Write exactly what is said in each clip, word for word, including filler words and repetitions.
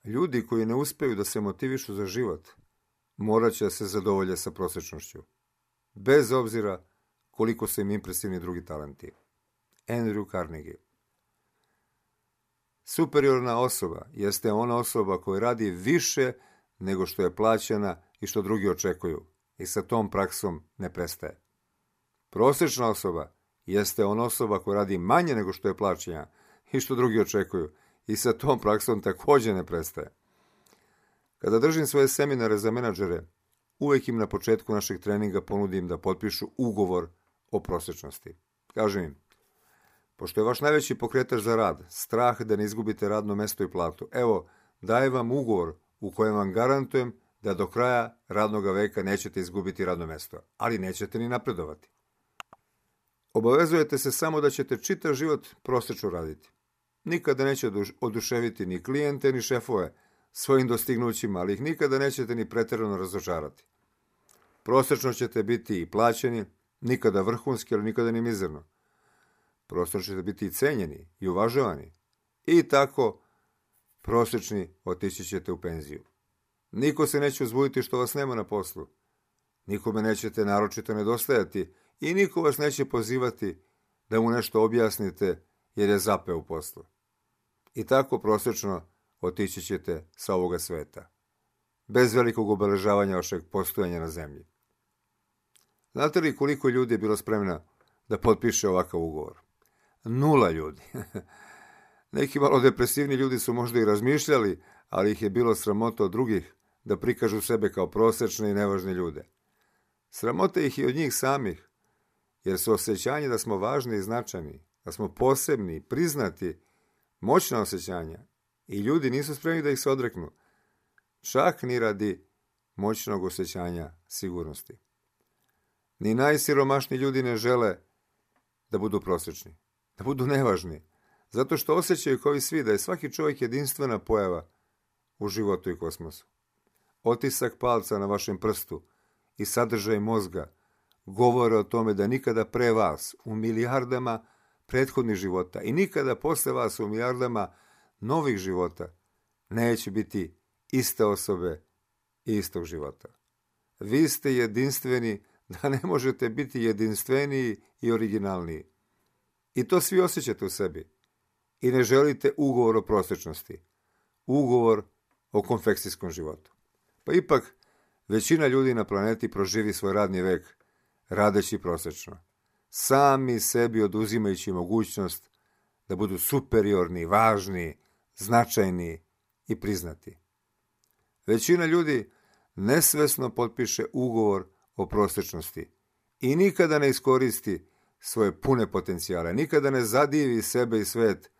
Ljudi koji ne uspeju da se motivišu za život, morat će da se zadovolje sa prosječnošću, bez obzira koliko su im impresivni drugi talenti. Andrew Carnegie. Superiorna osoba jeste ona osoba koja radi više nego što je plaćena i što drugi očekuju i sa tom praksom ne prestaje. Prosječna osoba jeste ona osoba koja radi manje nego što je plaćena i što drugi očekuju i sa tom praksom također ne prestaje. Kada držim svoje seminare za menadžere, uvijek im na početku našeg treninga ponudim da potpišu ugovor o prosječnosti. Kažem im, pošto je vaš najveći pokretač za rad strah da ne izgubite radno mesto i platu, evo, dajem vam ugovor u kojem vam garantujem da do kraja radnog veka nećete izgubiti radno mesto, ali nećete ni napredovati. Obavezujete se samo da ćete čitav život prosječno raditi. Nikada neće oduševiti ni klijente ni šefove svojim dostignućima, ali ih nikada nećete ni pretjerano razočarati. Prosječno ćete biti i plaćeni, nikada vrhunski, ali nikada ni mizerno. Prosječno ćete biti i cenjeni i uvažavani. I tako prosječni otići ćete u penziju. Niko se neće uzbuditi što vas nema na poslu. Nikome nećete naročito nedostajati i niko vas neće pozivati da mu nešto objasnite jer je zapeo u poslu. I tako prosječno otići ćete sa ovoga sveta, bez velikog obeležavanja vašeg postojanja na zemlji. Znate li koliko ljudi je bilo spremna da potpiše ovakav ugovor? Nula ljudi. Neki malo depresivni ljudi su možda i razmišljali, ali ih je bilo sramota od drugih da prikažu sebe kao prosječne i nevažne ljude. Sramota ih i od njih samih, jer su osjećanje da smo važni i značajni, da smo posebni, priznati, moćna osjećanja i ljudi nisu spremni da ih se odreknu, čak ni radi moćnog osjećanja sigurnosti. Ni najsiromašniji ljudi ne žele da budu prosječni, da budu nevažni, zato što osjećaju kao i svi da je svaki čovjek jedinstvena pojava u životu i kosmosu. Otisak palca na vašem prstu i sadržaj mozga govore o tome da nikada pre vas u milijardama prethodnih života i nikada posle vas u milijardama novih života neće biti iste osobe i istog života. Vi ste jedinstveni da ne možete biti jedinstveniji i originalniji. I to svi osjećate u sebi. I ne želite ugovor o prosječnosti. Ugovor o konfekcijskom životu. Pa ipak, većina ljudi na planeti proživi svoj radni vek radeći prosječno. Sami sebi oduzimajući mogućnost da budu superiorni, važni, značajni i priznati. Većina ljudi nesvesno potpiše ugovor o prosječnosti i nikada ne iskoristi svoje pune potencijale, nikada ne zadivi sebe i svet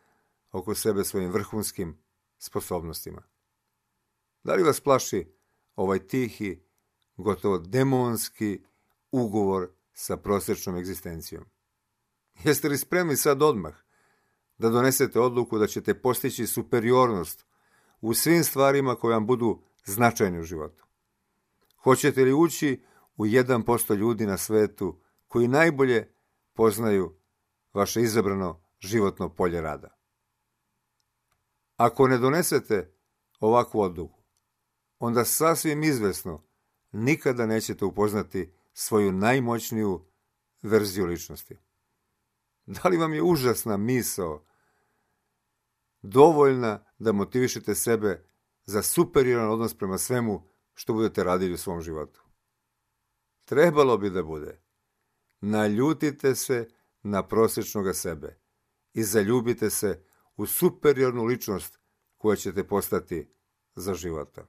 oko sebe svojim vrhunskim sposobnostima. Da li vas plaši ovaj tihi, gotovo demonski ugovor sa prosječnom egzistencijom? Jeste li spremni sad odmah da donesete odluku da ćete postići superiornost u svim stvarima koje vam budu značajne u životu? Hoćete li ući u jedan posto ljudi na svetu koji najbolje poznaju vaše izabrano životno polje rada? Ako ne donesete ovakvu odluku, onda sasvim izvesno nikada nećete upoznati svoju najmoćniju verziju ličnosti. Da li vam je užasna misao dovoljna da motivišete sebe za superioran odnos prema svemu što budete radili u svom životu? Trebalo bi da bude. Naljutite se na prosječnoga sebe i zaljubite se u superiornu ličnost koja ćete postati za života.